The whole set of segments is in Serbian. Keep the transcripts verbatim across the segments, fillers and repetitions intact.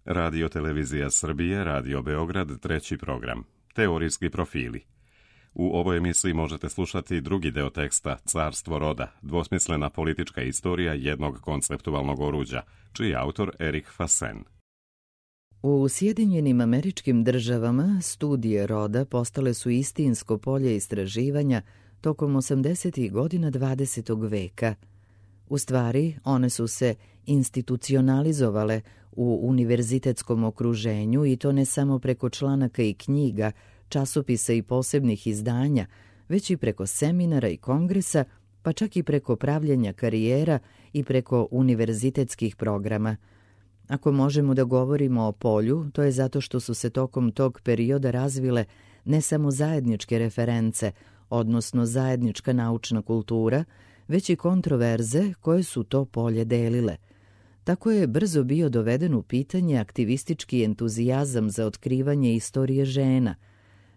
Radio Televizija Srbije, Radio Beograd, treći program. Teorijski profili. U ovoj emisiji možete slušati drugi deo teksta Carstvo roda, dvosmislena politička istorija jednog konceptualnog oruđa, čiji je autor Erik Fasen. U Sjedinjenim Američkim Državama studije roda postale su istinsko polje istraživanja tokom osamdesetih godina dvadesetog veka. U stvari, one su se institucionalizovale u univerzitetskom okruženju i to ne samo preko članaka i knjiga, časopisa i posebnih izdanja, već i preko seminara i kongresa, pa čak i preko pravljenja karijera i preko univerzitetskih programa. Ako možemo da govorimo o polju, to je zato što su se tokom tog perioda razvile ne samo zajedničke reference, odnosno zajednička naučna kultura, već i kontroverze koje su to polje delile. Tako je brzo bio doveden u pitanje aktivistički entuzijazam za otkrivanje istorije žena.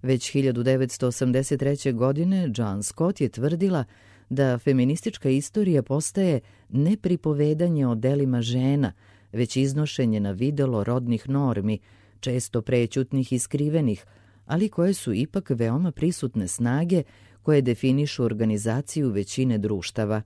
Već hiljadu devetsto osamdeset treće. godine John Scott je tvrdila da feministička istorija postaje ne pripovedanje o delima žena, već iznošenje na videlo rodnih normi, često prećutnih i skrivenih, ali koje su ipak veoma prisutne snage koje definišu organizaciju većine društava.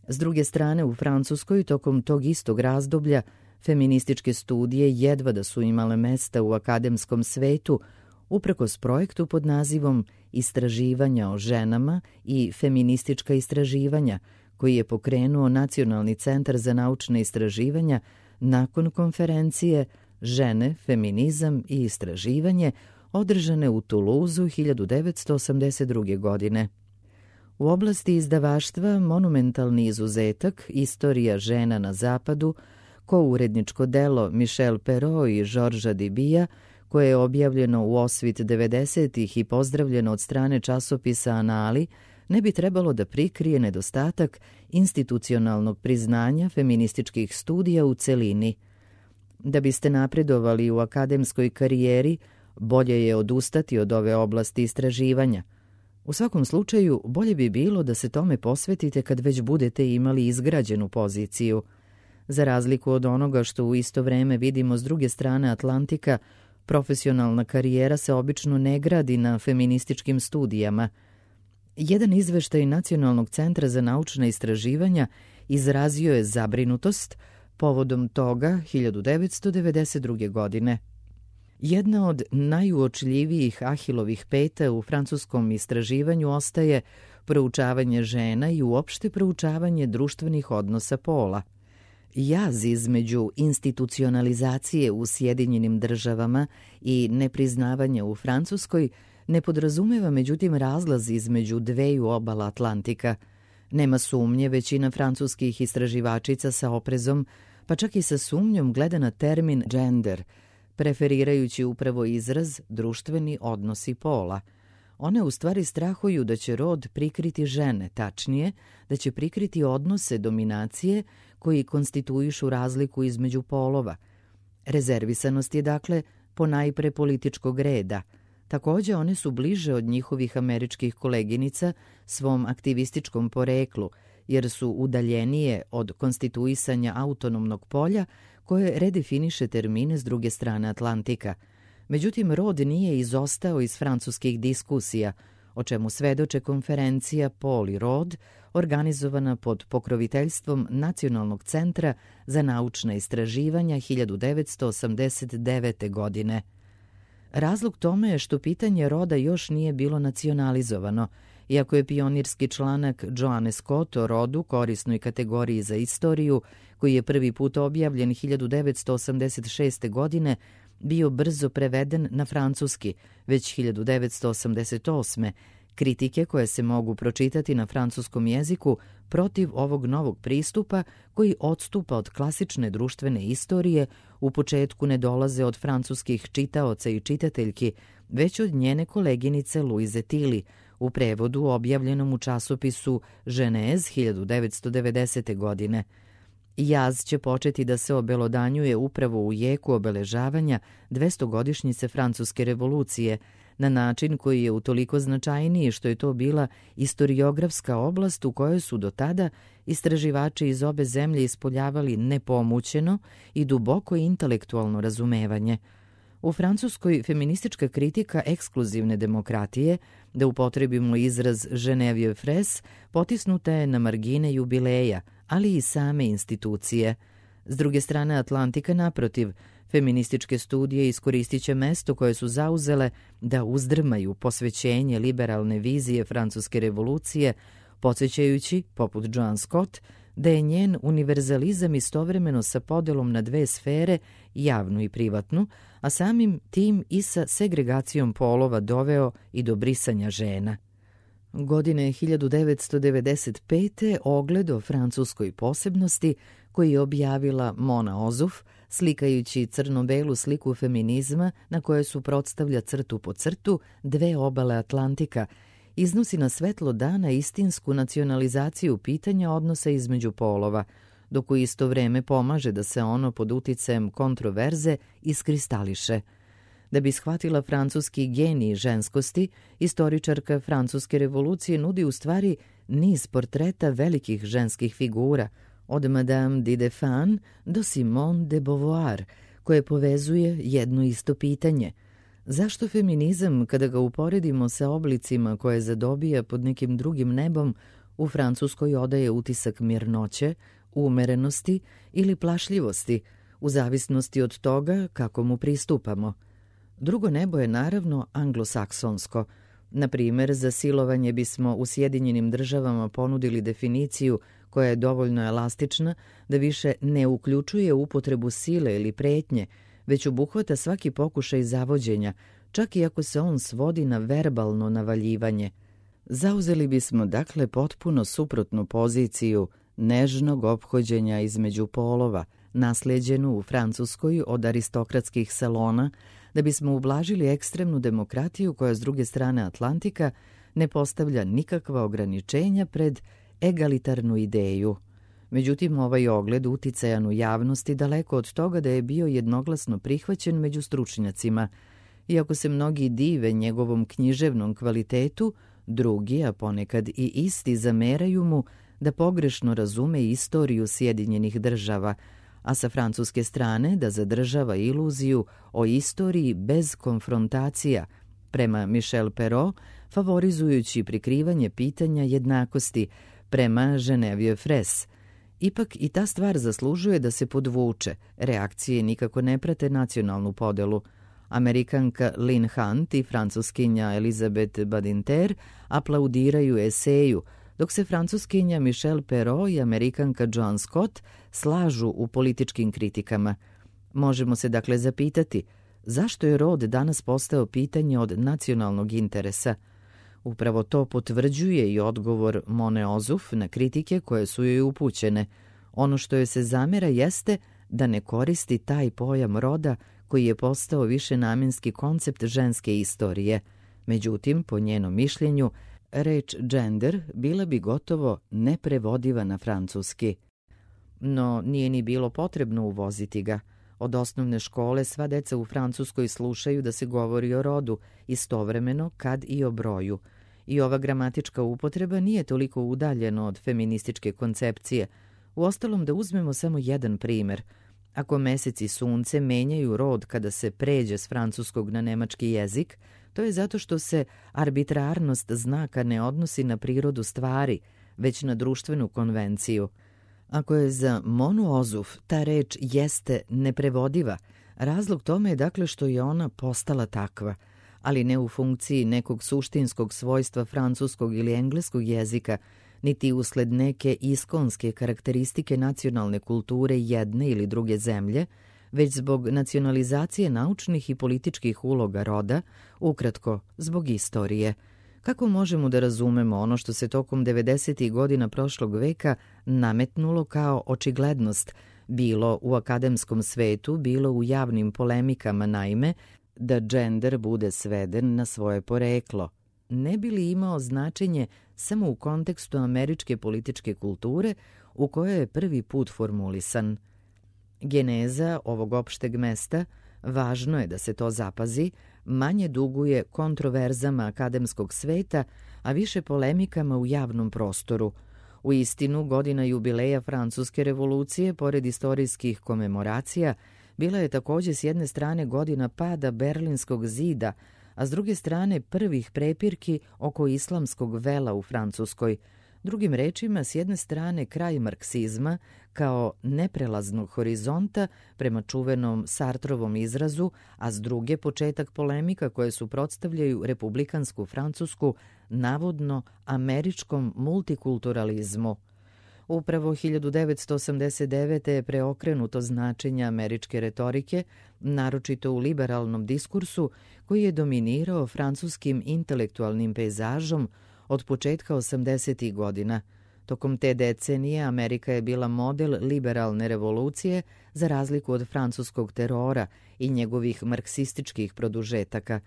S druge strane, u Francuskoj tokom tog istog razdoblja feminističke studije jedva da su imale mesta u akademskom svetu, uprkos projektu pod nazivom Istraživanja o ženama i feministička istraživanja, koji je pokrenuo Nacionalni centar za naučne istraživanja nakon konferencije Žene, feminizam i istraživanje održane u Tuluzu hiljadu devetsto osamdeset druge. godine. U oblasti izdavaštva monumentalni izuzetak Istorija žena na zapadu, kouredničko delo Michel Perrault i Georgesa Dibija, koje je objavljeno u osvit devedesetih i pozdravljeno od strane časopisa Anali, ne bi trebalo da prikrije nedostatak institucionalnog priznanja feminističkih studija u celini. Da biste napredovali u akademskoj karijeri, bolje je odustati od ove oblasti istraživanja. U svakom slučaju, bolje bi bilo da se tome posvetite kad već budete imali izgrađenu poziciju. Za razliku od onoga što u isto vreme vidimo s druge strane Atlantika, profesionalna karijera se obično ne gradi na feminističkim studijama. Jedan izveštaj Nacionalnog centra za naučna istraživanja izrazio je zabrinutost povodom toga hiljadu devetsto devedeset druge. godine. Jedna od najuočljivijih Ahilovih peta u francuskom istraživanju ostaje proučavanje žena i uopšte proučavanje društvenih odnosa pola. Jaz između institucionalizacije u Sjedinjenim Državama i nepriznavanja u Francuskoj ne podrazumeva međutim razlaz između dveju obala Atlantika. Nema sumnje, većina francuskih istraživačica sa oprezom, pa čak i sa sumnjom gleda na termin gender, preferirajući upravo izraz društveni odnosi pola. One u stvari strahuju da će rod prikriti žene, tačnije, da će prikriti odnose dominacije koji konstituišu razliku između polova. Rezervisanost je dakle ponajpre političkog reda. Takođe, one su bliže od njihovih američkih koleginica svom aktivističkom poreklu, jer su udaljenije od konstituisanja autonomnog polja koje redefiniše termine s druge strane Atlantika. Međutim, rod nije izostao iz francuskih diskusija, o čemu svedoče konferencija Pol i rod, organizovana pod pokroviteljstvom Nacionalnog centra za naučna istraživanja hiljadu devetsto osamdeset devete. godine. Razlog tome je što pitanje roda još nije bilo nacionalizovano, iako je pionirski članak Joanne Scott o rodu, korisnoj kategoriji za istoriju, koji je prvi put objavljen hiljadu devetsto osamdeset šeste. godine, bio brzo preveden na francuski, već hiljadu devetsto osamdeset osme. Kritike koje se mogu pročitati na francuskom jeziku protiv ovog novog pristupa koji odstupa od klasične društvene istorije u početku ne dolaze od francuskih čitaoca i čitateljki, već od njene koleginice Louise Tilly, u prevodu objavljenom u časopisu Genèse hiljadu devetsto devedesete. godine. Jaz će početi da se obelodanjuje upravo u jeku obeležavanja dvestogodišnjice Francuske revolucije, na način koji je utoliko značajniji što je to bila istoriografska oblast u kojoj su do tada istraživači iz obe zemlje ispoljavali nepomućeno i duboko intelektualno razumevanje. U Francuskoj feministička kritika ekskluzivne demokratije, da upotrebimo izraz Genevieve Fraisse, potisnuta je na margine jubileja, ali i same institucije. S druge strane Atlantika, naprotiv, feminističke studije iskoristit će mesto koje su zauzele da uzdrmaju posvećenje liberalne vizije francuske revolucije, podsjećajući, poput Joan Scott, da je njen univerzalizam istovremeno sa podelom na dve sfere, javnu i privatnu, a samim tim i sa segregacijom polova doveo i do brisanja žena. Godine hiljadu devetsto devedeset pete ogled o francuskoj posebnosti koji je objavila Mona Ozuf, slikajući crno-belu sliku feminizma na kojoj su predstavlja crtu po crtu dve obale Atlantika, iznosi na svetlo dana istinsku nacionalizaciju pitanja odnosa između polova, dok u isto vreme pomaže da se ono pod uticajem kontroverze iskristališe. Da bi shvatila francuski genij ženskosti, istoričarka francuske revolucije nudi u stvari niz portreta velikih ženskih figura, od Madame de Defan do Simone de Beauvoir, koje povezuje jedno isto pitanje. Zašto feminizam, kada ga uporedimo sa oblicima koje zadobija pod nekim drugim nebom, u Francuskoj odaje utisak mirnoće, umerenosti ili plašljivosti, u zavisnosti od toga kako mu pristupamo? Drugo nebo je naravno anglosaksonsko. Na primjer, za silovanje bismo u Sjedinjenim državama ponudili definiciju koja je dovoljno elastična da više ne uključuje upotrebu sile ili pretnje, već obuhvata svaki pokušaj zavođenja, čak i ako se on svodi na verbalno navaljivanje. Zauzeli bismo dakle potpuno suprotnu poziciju nežnog ophođenja između polova, naslijeđenu u Francuskoj od aristokratskih salona, da bismo ublažili ekstremnu demokratiju koja s druge strane Atlantika ne postavlja nikakva ograničenja pred egalitarnu ideju. Međutim, ovaj ogled uticajan u javnosti daleko od toga da je bio jednoglasno prihvaćen među stručnjacima. Iako se mnogi dive njegovom književnom kvalitetu, drugi, a ponekad i isti, zameraju mu da pogrešno razume istoriju Sjedinjenih država, a sa francuske strane da zadržava iluziju o istoriji bez konfrontacija, prema Michel Perrault, favorizujući prikrivanje pitanja jednakosti, prema Genevieve Fraisse. Ipak i ta stvar zaslužuje da se podvuče, reakcije nikako ne prate nacionalnu podelu. Amerikanka Lynn Hunt i francuskinja Elizabeth Badinter aplaudiraju eseju, dok se francuskinja Michel Perrault i amerikanka Joan Scott slažu u političkim kritikama. Možemo se dakle zapitati zašto je rod danas postao pitanje od nacionalnog interesa. Upravo to potvrđuje i odgovor Mone Ozuf na kritike koje su joj upućene. Ono što joj se zamera jeste da ne koristi taj pojam roda koji je postao višenamjenski koncept ženske istorije. Međutim, po njenom mišljenju, reč gender bila bi gotovo neprevodiva na francuski. No, nije ni bilo potrebno uvoziti ga. Od osnovne škole sva deca u Francuskoj slušaju da se govori o rodu, istovremeno kad i o broju. I ova gramatička upotreba nije toliko udaljena od feminističke koncepcije. Uostalom, da uzmemo samo jedan primjer. Ako mesec i sunce menjaju rod kada se pređe s francuskog na nemački jezik, to je zato što se arbitrarnost znaka ne odnosi na prirodu stvari, već na društvenu konvenciju. Ako je za Monu Ozuf ta reč jeste neprevodiva, razlog tome je dakle što je ona postala takva, ali ne u funkciji nekog suštinskog svojstva francuskog ili engleskog jezika, niti usled neke iskonske karakteristike nacionalne kulture jedne ili druge zemlje, već zbog nacionalizacije naučnih i političkih uloga roda, ukratko, zbog istorije. Kako možemo da razumemo ono što se tokom devedesetih godina prošlog veka nametnulo kao očiglednost, bilo u akademskom svetu, bilo u javnim polemikama, naime, da gender bude sveden na svoje poreklo? Ne bi li imao značenje samo u kontekstu američke političke kulture u kojoj je prvi put formulisan? Geneza ovog opšteg mesta Važno je da se to zapazi, manje duguje kontroverzama akademskog sveta, a više polemikama u javnom prostoru. U istinu, godina jubileja Francuske revolucije, pored istorijskih komemoracija, bila je također s jedne strane godina pada Berlinskog zida, a s druge strane prvih prepirki oko islamskog vela u Francuskoj. Drugim rečima, s jedne strane kraj marksizma kao neprelaznog horizonta prema čuvenom Sartrovom izrazu, a s druge početak polemika koje suprotstavljaju republikansku Francusku navodno američkom multikulturalizmu. Upravo hiljadu devetsto osamdeset devete. je preokrenuto značenje američke retorike, naročito u liberalnom diskursu koji je dominirao francuskim intelektualnim pejzažom od početka osamdesetih godina. Tokom te decenije Amerika je bila model liberalne revolucije za razliku od francuskog terora i njegovih marksističkih produžetaka.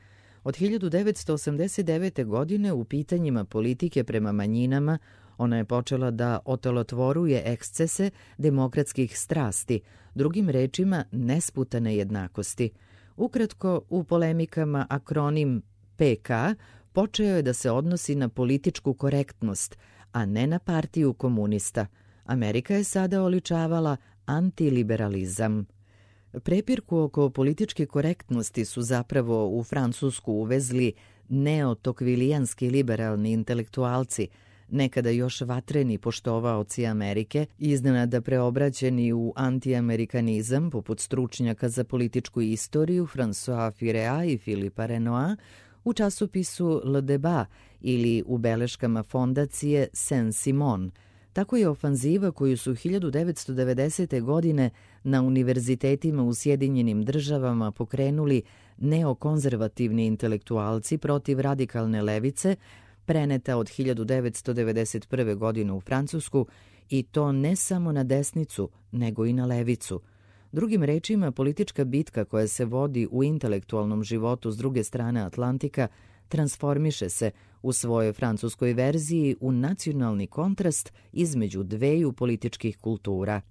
Od hiljadu devetsto osamdeset devete. godine u pitanjima politike prema manjinama ona je počela da otelotvoruje ekscese demokratskih strasti, drugim rečima nesputane jednakosti. Ukratko, u polemikama akronim P K počeo je da se odnosi na političku korektnost, a ne na partiju komunista. Amerika je sada oličavala antiliberalizam. Prepirku oko političke korektnosti su zapravo u Francusku uvezli neotokvilijanski liberalni intelektualci, nekada još vatreni poštovaoci Amerike, iznenada preobraćeni u antiamerikanizam, poput stručnjaka za političku istoriju François Firea i Philippa Renoir, u časopisu Le Débat ili u beleškama fondacije Saint-Simon. Tako je ofanziva koju su hiljadu devetsto devedesete. godine na univerzitetima u Sjedinjenim državama pokrenuli neokonzervativni intelektualci protiv radikalne levice, preneta od hiljadu devetsto devedeset prve. godine u Francusku, i to ne samo na desnicu, nego i na levicu. Drugim rečima, politička bitka koja se vodi u intelektualnom životu s druge strane Atlantika transformiše se u svojoj francuskoj verziji u nacionalni kontrast između dveju političkih kultura.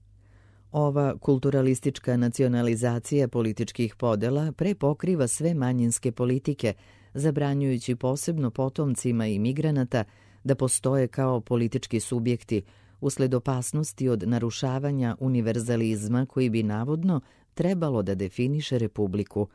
Ova kulturalistička nacionalizacija političkih podela prepokriva sve manjinske politike, zabranjujući posebno potomcima imigranata da postoje kao politički subjekti, usled opasnosti od narušavanja univerzalizma koji bi navodno trebalo da definiše republiku.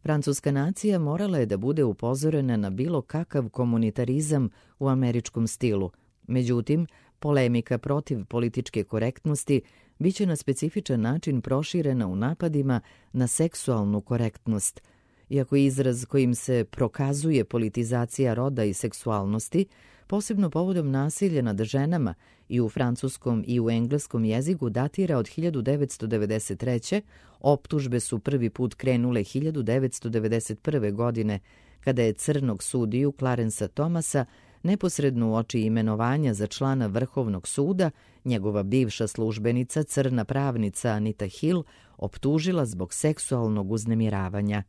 Francuska nacija morala je da bude upozorena na bilo kakav komunitarizam u američkom stilu. Međutim, polemika protiv političke korektnosti biće na specifičan način proširena u napadima na seksualnu korektnost. Iako izraz kojim se prokazuje politizacija roda i seksualnosti, posebno povodom nasilja nad ženama i u francuskom i u engleskom jeziku datira od hiljadu devetsto devedeset treće. Optužbe su prvi put krenule hiljadu devetsto devedeset prve. godine, kada je crnog sudiju Clarensa Thomasa neposredno uoči imenovanja za člana Vrhovnog suda njegova bivša službenica, crna pravnica Anita Hill, optužila zbog seksualnog uznemiravanja.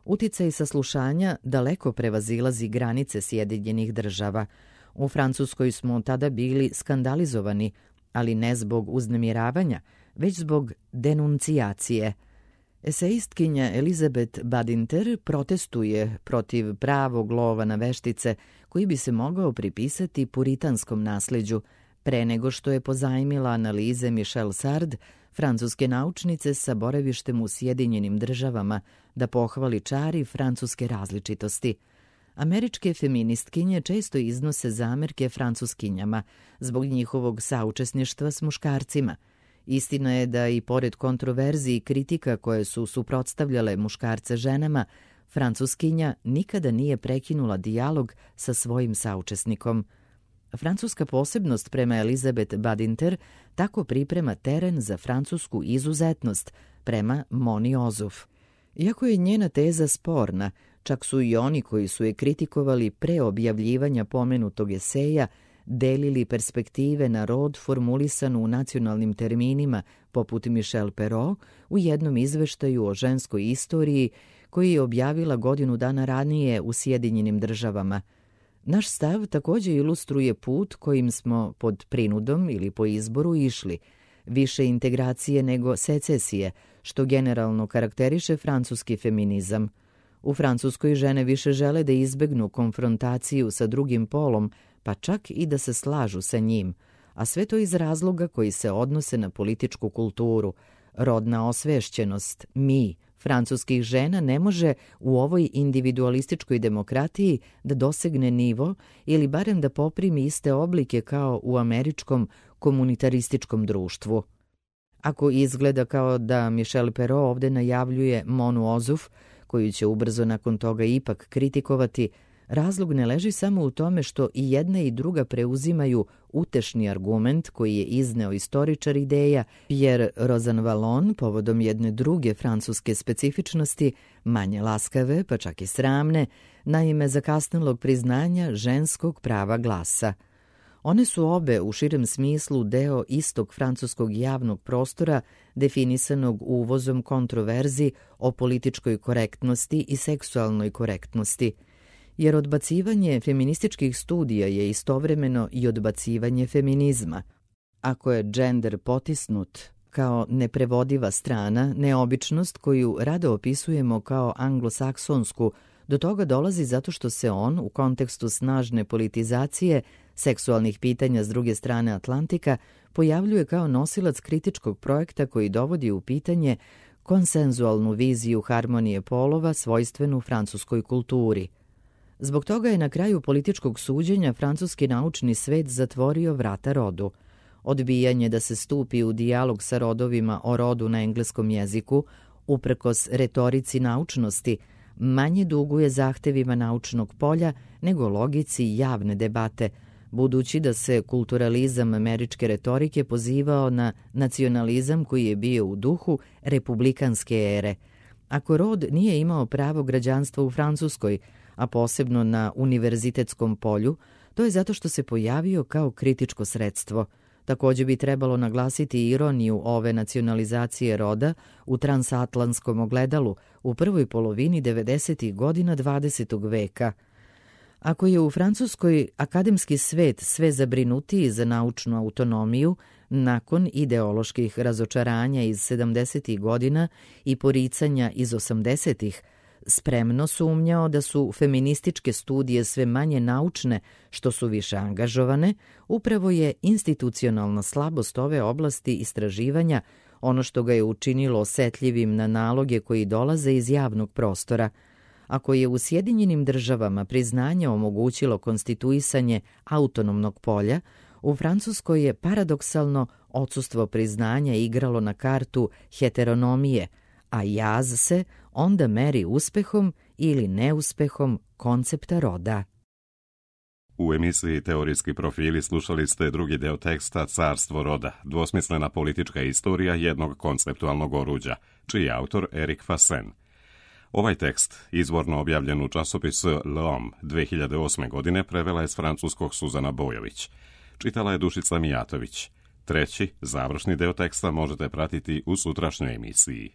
Uticaj saslušanja daleko prevazilazi granice Sjedinjenih država. U Francuskoj smo tada bili skandalizovani, ali ne zbog uznemiravanja, već zbog denuncijacije. Eseistkinja Elizabeth Badinter protestuje protiv pravog lova na veštice koji bi se mogao pripisati puritanskom nasleđu, pre nego što je pozajmila analize Michel Sard, francuske naučnice sa boravištem u Sjedinjenim državama, da pohvali čari francuske različitosti. Američke feministkinje često iznose zamerke francuskinjama zbog njihovog saučesništva s muškarcima. Istina je da i pored kontroverziji i kritika koje su suprotstavljale muškarce ženama, francuskinja nikada nije prekinula dijalog sa svojim saučesnikom. Francuska posebnost prema Elizabeth Badinter tako priprema teren za francusku izuzetnost prema Moni Ozuf. Iako je njena teza sporna, čak su i oni koji su je kritikovali pre objavljivanja pomenutog eseja delili perspektive na rod formulisanu u nacionalnim terminima, poput Michel Perrault u jednom izveštaju o ženskoj istoriji koji je objavila godinu dana ranije u Sjedinjenim državama. Naš stav također ilustruje put kojim smo pod prinudom ili po izboru išli, više integracije nego secesije, što generalno karakteriše francuski feminizam. U Francuskoj žene više žele da izbegnu konfrontaciju sa drugim polom, pa čak i da se slažu sa njim, a sve to iz razloga koji se odnose na političku kulturu. Rodna osvešćenost, mi, francuskih žena ne može u ovoj individualističkoj demokratiji da dosegne nivo ili barem da poprimi iste oblike kao u američkom komunitarističkom društvu. Ako izgleda kao da Michel Perrault ovde najavljuje Monu Ozuf, koju će ubrzo nakon toga ipak kritikovati, razlog ne leži samo u tome što i jedna i druga preuzimaju utešni argument koji je izneo istoričar ideja Pierre Rosanvallon povodom jedne druge francuske specifičnosti, manje laskave, pa čak i sramne, naime zakasnelog priznanja ženskog prava glasa. One su obe u širem smislu deo istog francuskog javnog prostora definisanog uvozom kontroverzi o političkoj korektnosti i seksualnoj korektnosti, jer odbacivanje feminističkih studija je istovremeno i odbacivanje feminizma. Ako je džender potisnut kao neprevodiva strana, neobičnost koju rado opisujemo kao anglosaksonsku, do toga dolazi zato što se on, u kontekstu snažne politizacije seksualnih pitanja s druge strane Atlantika, pojavljuje kao nosilac kritičkog projekta koji dovodi u pitanje konsenzualnu viziju harmonije polova svojstvenu francuskoj kulturi. Zbog toga je na kraju političkog suđenja francuski naučni svet zatvorio vrata rodu. Odbijanje da se stupi u dijalog sa rodovima o rodu na engleskom jeziku, uprkos retorici naučnosti, manje duguje zahtevima naučnog polja nego logici javne debate, budući da se kulturalizam američke retorike pozivao na nacionalizam koji je bio u duhu republikanske ere. Ako rod nije imao pravo građanstva u Francuskoj, a posebno na univerzitetskom polju, to je zato što se pojavio kao kritičko sredstvo. Također bi trebalo naglasiti ironiju ove nacionalizacije roda u transatlantskom ogledalu u prvoj polovini devedesetih godina dvadesetog veka. Ako je u Francuskoj akademski svet sve zabrinutiji za naučnu autonomiju, nakon ideoloških razočaranja iz sedamdesetih godina i poricanja iz osamdesetih, spremno sumnjao da su feminističke studije sve manje naučne, što su više angažovane, upravo je institucionalna slabost ove oblasti istraživanja ono što ga je učinilo osetljivim na naloge koji dolaze iz javnog prostora. Ako je u Sjedinjenim državama priznanje omogućilo konstituisanje autonomnog polja, u Francuskoj je paradoksalno odsustvo priznanja igralo na kartu heteronomije, a jaz se onda meri uspehom ili neuspehom koncepta roda. U emisiji Teorijski profili slušali ste drugi deo teksta Carstvo roda, dvosmislena politička istorija jednog konceptualnog oruđa, čiji je autor Erik Fassen. Ovaj tekst, izvorno objavljen u časopisu L'Homme dve hiljade osme. godine, prevela je s francuskog Suzana Bojović. Čitala je Dušica Mijatović. Treći, završni deo teksta možete pratiti u sutrašnjoj emisiji.